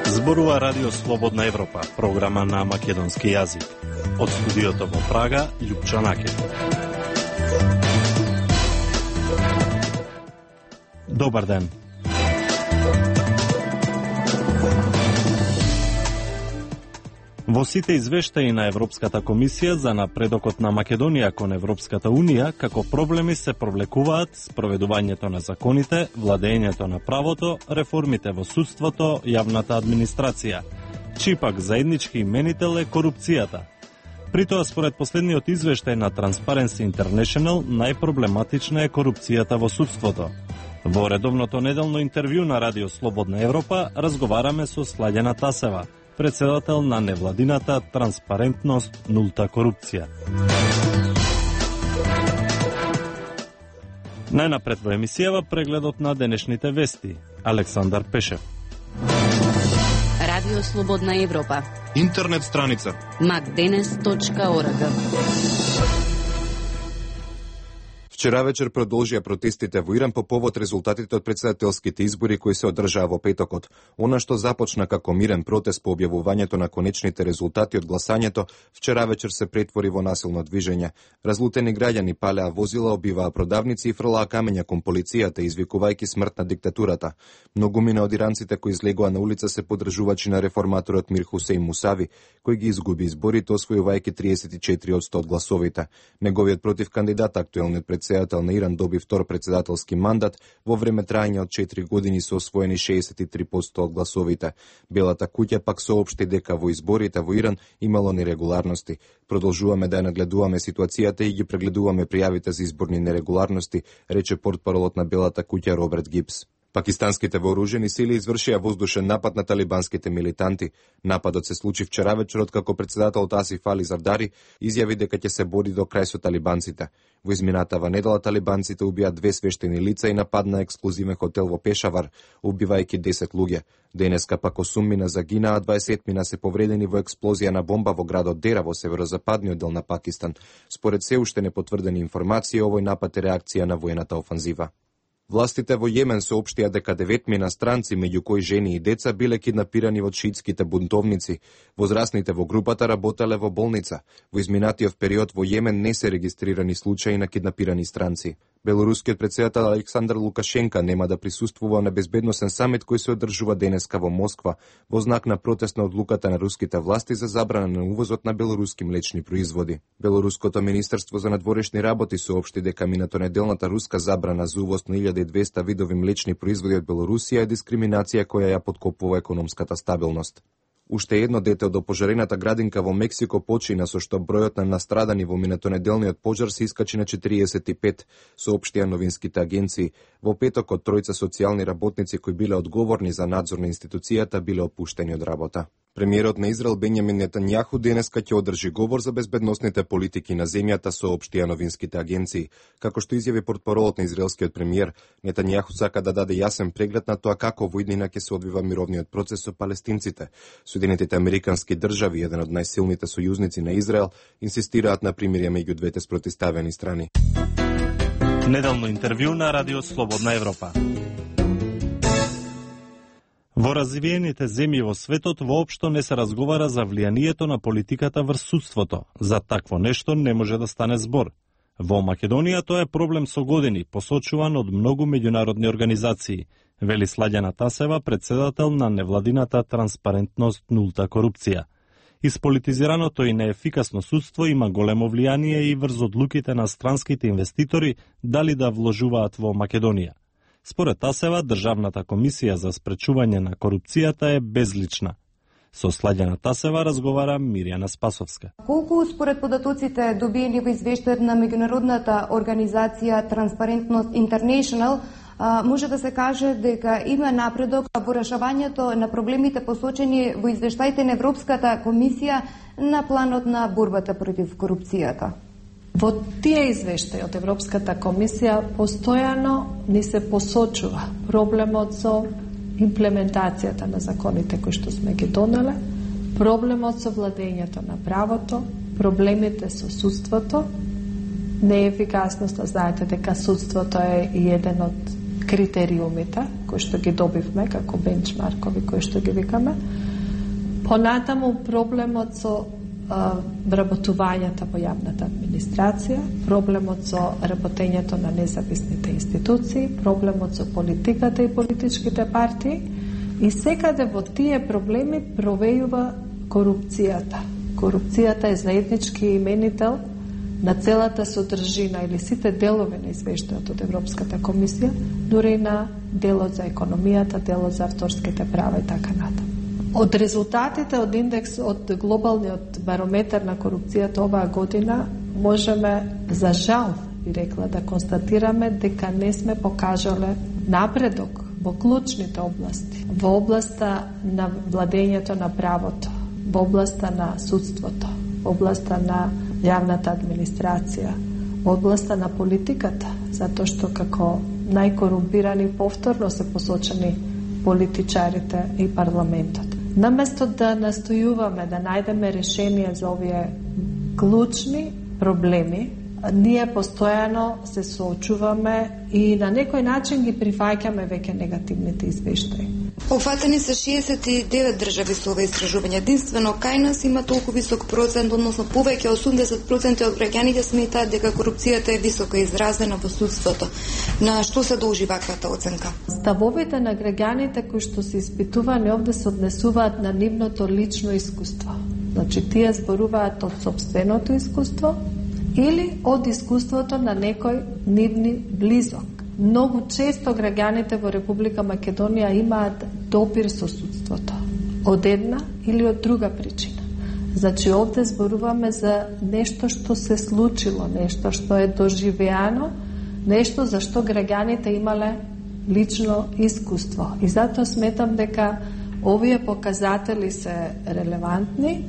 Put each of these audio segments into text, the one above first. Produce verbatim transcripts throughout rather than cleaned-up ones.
Зборува Радио Слободна Европа, програма на македонски јазик. Од студиото во Прага, Љупчо Накев. Добар ден. Во сите извештаи на Европската комисија за напредокот на Македонија кон Европската унија, како проблеми се провлекуваат спроведувањето на законите, владењето на правото, реформите во судството, јавната администрација. Чипак заеднички именител е корупцијата. Притоа, според последниот извештај на Transparency International, најпроблематична е корупцијата во судството. Во редовното неделно интервју на Радио Слободна Европа разговараме со Слаѓана Тасева, председател на невладината Транспарентност нулта корупција. Најнапред во емисијава прегледот на денешните вести. Александар Пешев. Радио Слободна Европа. Интернет страница макденес точка орг. Вчера вечер продолжија протестите во Иран по повод резултатите од претседателските избори кои се одржаа во петокот. Она што започна како мирен протест по објавувањето на конечните резултати од гласањето, вчера вечер се претвори во насилно движење. Разлутени граѓани палеа возила, обиваа продавници и фрлаа камења кон полицијата, извикувајќи смрт на диктатурата. Многумина од иранците кои излегоа на улица се поддржувачи на реформаторот Мир Хусеин Мусави, кој ги изгуби изборите, освојувајќи триесет и четири одсто од гласовите. Неговиот противкандидат, актуелниот председател на Иран, доби втор председателски мандат во време трајање од четири години со освоени шеесет и три одсто од гласовите. Белата куќа пак соопшти дека во изборите во Иран имало нерегуларности. Продолжуваме да ја нагледуваме ситуацијата и ги прегледуваме пријавите за изборни нерегуларности, рече портпаролот на Белата куќа Роберт Гибс. Пакистанските вооружени сили извршија воздушен напад на талибанските милитанти. Нападот се случи вчера вечерот како председателот Асиф Али Зардари изјави дека ќе се бори до крај со талибанците. Во изминатава недела талибанците убија две свештени лица и нападна експлозивен хотел во Пешавар, убивајќи десет луѓе. Денеска пак осум мина загинаа, а дваесет мина се повредени во експлозија на бомба во градот Дера во северозападниот дел на Пакистан. Според се уште непотврдени информации, овој напад е реакција на воената офанзива. Властите во Јемен соопштија дека деветмина странци, меѓу кои жени и деца, биле киднапирани од шиитските бунтовници. Возрастните во групата работеле во болница. Во изминатиот период во Јемен не се регистрирани случаи на киднапирани странци. Белорускиот председател Александар Лукашенка нема да присуствува на безбедносен самит кој се одржува денеска во Москва во знак на протест на одлуката на руските власти за забрана на увозот на белоруски млечни производи. Белоруското министерство за надворешни работи соопшти дека минатонеделната руска забрана за увоз на илјада и двесте видови млечни производи од Белорусија е дискриминација која ја поткопува економската стабилност. Уште едно дете од опожарената градинка во Мексико почина, со што бројот на настрадани во минатонеделниот пожар се искачи на четириесет и пет, соопштија новинските агенции. Во петокот тројца социјални работници кои биле одговорни за надзор на институцијата биле опуштени од работа. Премиерот на Израел Бенјамин Нетањаху денеска ќе одржи говор за безбедносните политики на земјата, соопштија новинските агенции. Како што изјави портпаролот на израелскиот премиер, Нетањаху сака да даде јасен преглед на тоа како во иднина ќе се одвива мировниот процес со палестинците. Соединетите американски држави, еден од најсилните сојузници на Израел, инсистираат на примирие меѓу двете спротивставени страни. Неделно интервју на Радио Слободна Европа. Во развиените земји во светот воопшто не се разговара за влијанието на политиката врз судството. За такво нешто не може да стане збор. Во Македонија тоа е проблем со години, посочуван од многу меѓународни организации, вели Слаѓана Тасева, председател на невладината Транспарентност нулта корупција. Исполитизираното и неефикасно судство има големо влијание и врз одлуките на странските инвеститори дали да вложуваат во Македонија. Според Тасева, Државната комисија за спречување на корупцијата е безлична. Со Слаѓана Тасева разговара Мирјана Спасовска. Колку според податоците добиени во извештајот на меѓународната организација Transparency International, може да се каже дека има напредок во решавањето на проблемите посочени во извештаите на Европската комисија на планот на борбата против корупцијата? Во тие извештаи од Европската комисија постојано ни се посочува проблемот со имплементацијата на законите кои што сме ги донеле, проблемот со владењето на правото, проблемите со судството, неефикасноста. Знаете дека судството е еден од критериумите кои што ги добивме како бенчмаркови кои што ги викаме. Понатаму проблемот со а, вработувањето во јавната администрација, проблемот со работењето на независните институции, проблемот со политиката и политичките партии, и секаде во тие проблеми провејува корупцијата. Корупцијата е заеднички именител на целата содржина или сите делови на извештајот од Европската комисија, дури и на делот за економијата, делот за авторските права и така натаму. Од резултатите од индекс од глобалниот барометар на корупцијата оваа година можеме, за жал, би рекла, да констатираме дека не сме покажале напредок во клучните области, во областа на владењето на правото, во областа на судството, во областа на јавната администрација, во областа на политиката, затоа што како најкорумпирани повторно се посочени политичарите и парламентот. Наместо да настојуваме да најдеме решение за овие клучни проблеми, ние постојано се соочуваме и на некој начин ги прифаќаме веќе негативните извештаи. Офатени се шеесет и девет држави со ова истражување. Единствено кај нас има толку висок процент, односно повеќе осумдесет проценти од граѓаните сметаат дека корупцијата е високо изразена во судството. На што се должи ваквата оценка? Ставовите на граѓаните кои што се испитувани овде се однесуваат на нивното лично искуство. Значи тие зборуваат од сопственото искуство или од искуството на некој нивни близок. Многу често граѓаните во Република Македонија имаат допир со судството, од една или од друга причина. Значи овде зборуваме за нешто што се случило, нешто што е доживеано, нешто за што граѓаните имале лично искуство. И затоа сметам дека овие показатели се релевантни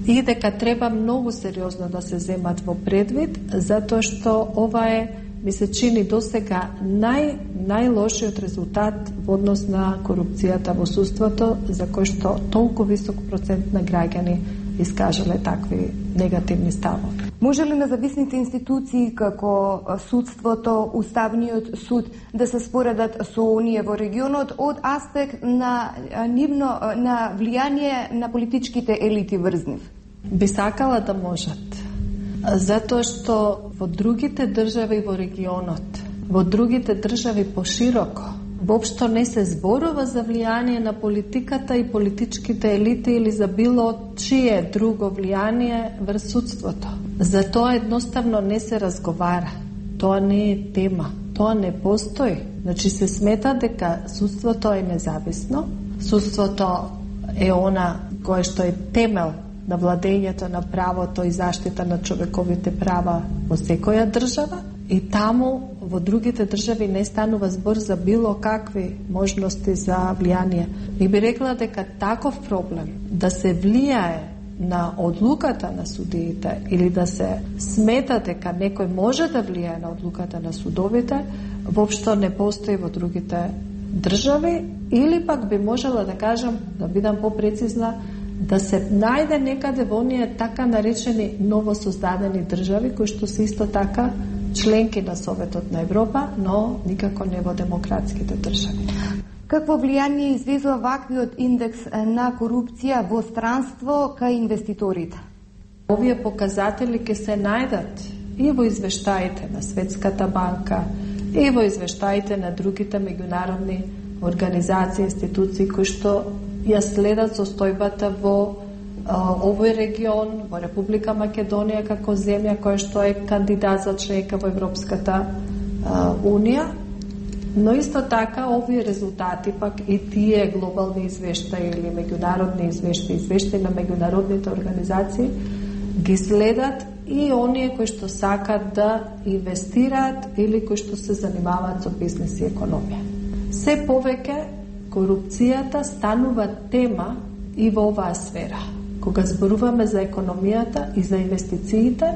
и дека треба многу сериозно да се земат во предвид, затоа што ова е, ми се чини досега нај, најлошиот резултат во однос на корупцијата во судството, за кој што толку висок процент на граѓани искажале такви негативни ставови. Може ли независните институции како судството, Уставниот суд да се споредат со оние во регионот од аспект на нивно на влијание на политичките елити врз нив? Би сакала да можат. Затоа што во другите држави во регионот, во другите држави пошироко, воопшто не се зборува за влијание на политиката и политичките елити или за било чие друго влијание врз судството. За тоа едноставно не се разговара. Тоа не е тема. Тоа не постои. Значи се смета дека судството е независно, судството е она кое што е темел на владењето на правото и заштита на човековите права во секоја држава, и таму во другите држави не станува збор за било какви можности за влијание. И би рекла дека таков проблем да се влијае на одлуката на судиите или да се смета дека некој може да влијае на одлуката на судовите, воопшто не постои во другите држави, или пак би можела да кажам, да бидам попрецизна, да се најде некаде во оние така наречени новосоздадени држави кои што се исто така членки на Советот на Европа, но никако не во демократските држави. Какво влијание извезува ваквиот индекс на корупција во странство кај инвеститорите? Овие показатели ќе се најдат и во извештаите на Светската банка, и во извештаите на другите меѓународни организации, институции кои што ја следат состојбата во а, овој регион, во Република Македонија како земја која што е кандидат за членка во Европската а, Унија, но исто така овие резултати пак и тие глобални извештаи или меѓународни извештаи, извештаи на меѓународните организации ги следат и оние кои што сакат да инвестираат или кои што се занимаваат со бизнес и економија. Се повеќе корупцијата станува тема и во оваа сфера. Кога зборуваме за економијата и за инвестициите,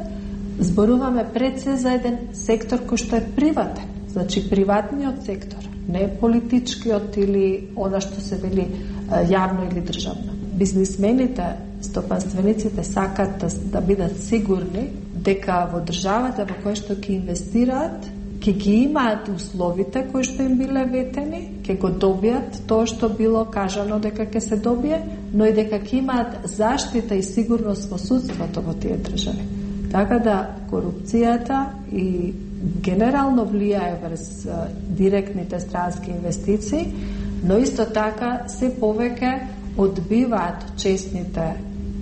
зборуваме пред се за еден сектор кој што е приватен. Значи приватниот сектор, не политичкиот или она што се вели јавно или државно. Бизнисмените стопанствениците сакат да, да бидат сигурни дека во државата во која што ќе инвестираат, ќе ги имаат условите кои што им биле ветени, ќе го добијат тоа што било кажано дека ќе се добие, но и дека ќе имаат заштита и сигурност во судството во тие држави. Така да корупцијата и генерално влијае врз директните странски инвестиции, но исто така се повеќе одбиваат честните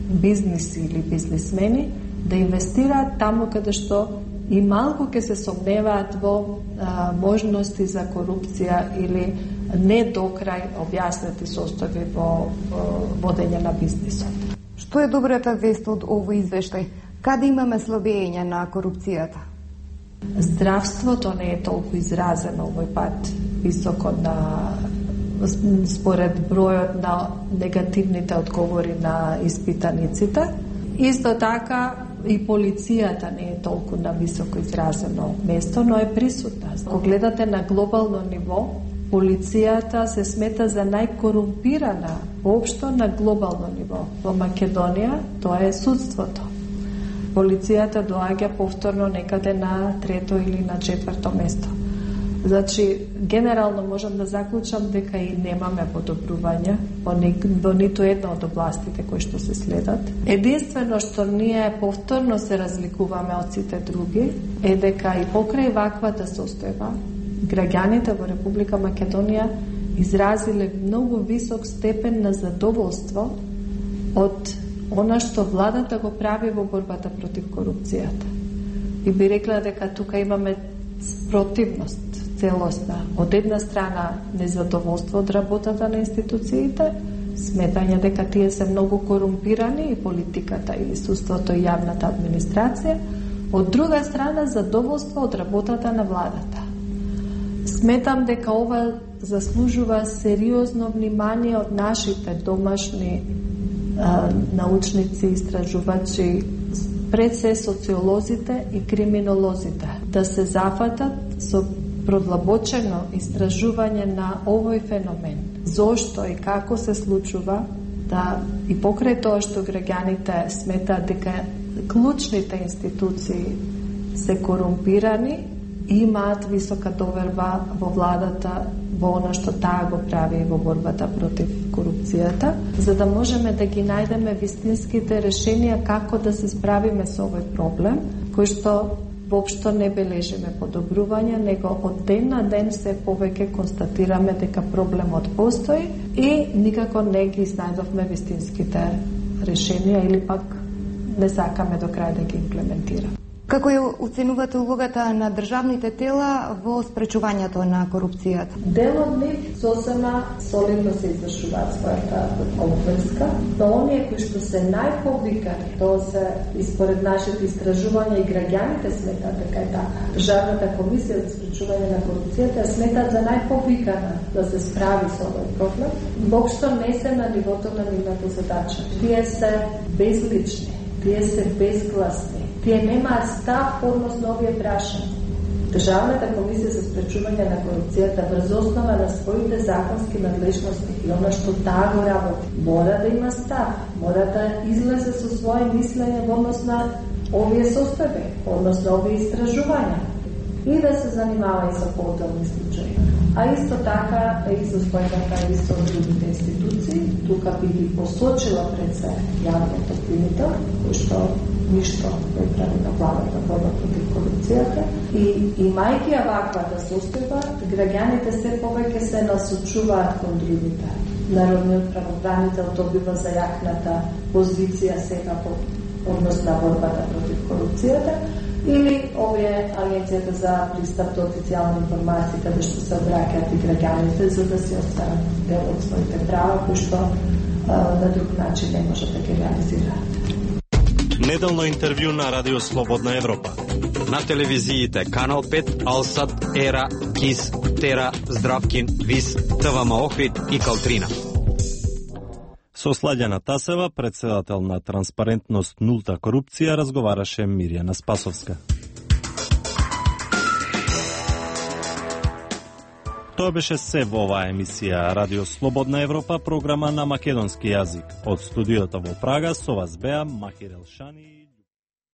бизниси или бизнисмени да инвестираат таму каде што и малку ќе се сомневаат во а, можности за корупција или не до крај објаснети состојби во, во водење на бизнисот. Што е добрата вест од овој извештај? Каде имаме слабење на корупцијата? Здравството не е толку изразено овој пат високо на според бројот на негативните одговори на испитаниците. Исто така и полицијата не е толку на високо изразено место, но е присутна. Ако гледате на глобално ниво, полицијата се смета за најкорумпирана воопшто на глобално ниво. Во Македонија тоа е судството. Полицијата доаѓа повторно некаде на трето или на четврто место. Значи, генерално можам да заклучам дека и немаме подобрување во, ни, во ниту една од областите кои што се следат. Единствено што ние повторно се разликуваме од сите други е дека и покрај ваквата состојба граѓаните во Република Македонија изразиле многу висок степен на задоволство од она што владата го прави во борбата против корупцијата. И би рекла дека тука имаме спротивност целосна. Од една страна незадоволство од работата на институциите, сметање дека тие се многу корумпирани и политиката и судството и јавната администрација, од друга страна задоволство од работата на владата. Сметам дека ова заслужува сериозно внимание од нашите домашни а, научници, истражувачи, пред се социолозите и криминолозите, да се зафатат со продлабочено истражување на овој феномен. Зошто и како се случува да и покрај тоа што граѓаните сметаат дека клучните институции се корумпирани, имаат висока доверба во владата, во она што таа го прави во борбата против корупцијата, за да можеме да ги најдеме вистинските решенија како да се справиме со овој проблем, кој што воопшто не бележиме подобрување, него од ден на ден се повеќе констатираме дека проблемот постои и никако не ги знајдовме вистинските решенија или пак не сакаме до крај да ги имплементираме. Како ја оценувате улогата на државните тела во спречувањето на корупцијата? Дел од нив сосема солидно се извршуваат својата обврска, но оние кои што се најповикани, тоа се и според нашите истражувања и граѓаните сметаат дека е така. Државната комисија за спречување на корупцијата сметаат за најповикана да се справи со овој проблем. Воопшто не се на нивото на нивната задача. Тие се безлични, тие се безгласни. Тие немаат став односно овие прашања. Државната комисија за спречување на корупцијата врз основа на своите законски надлежности и она што таа го работи, мора да има став, мора да излезе со своje мислење во однос на овие состојби, односно овие истражувања и да се занимава и со поотделни случаи. А исто така и со својата и со другите институции, тука би ги посочила пред се јавниот обвинител, кој што ништо не прави на владата борба против корупцијата и имајќи ја ваквата состојба, граѓаните се повеќе се насочуваат кон другите. Народниот правобранител добива зајакната позиција сега по однос на борбата против корупцијата или овие агенцијата за пристап до официјални информации каде што се обраќаат и граѓаните за да се останат дел од своите права кои што а, на друг начин не може да ги реализираат. Неделно интервју на Радио Слободна Европа. На телевизиите Канал пет, Алсат, Ера, Кис, Тера, Здравкин, Вис, ТВМ Охрид и Калтрина. Со Сладјана Тасева, председател на Транспарентност нулта корупција, разговараше Мирјана Спасовска. Тоа беше се во оваа емисија Радио Слободна Европа, програма на македонски јазик. Од студиото во Прага со вас беа Махир Елшани.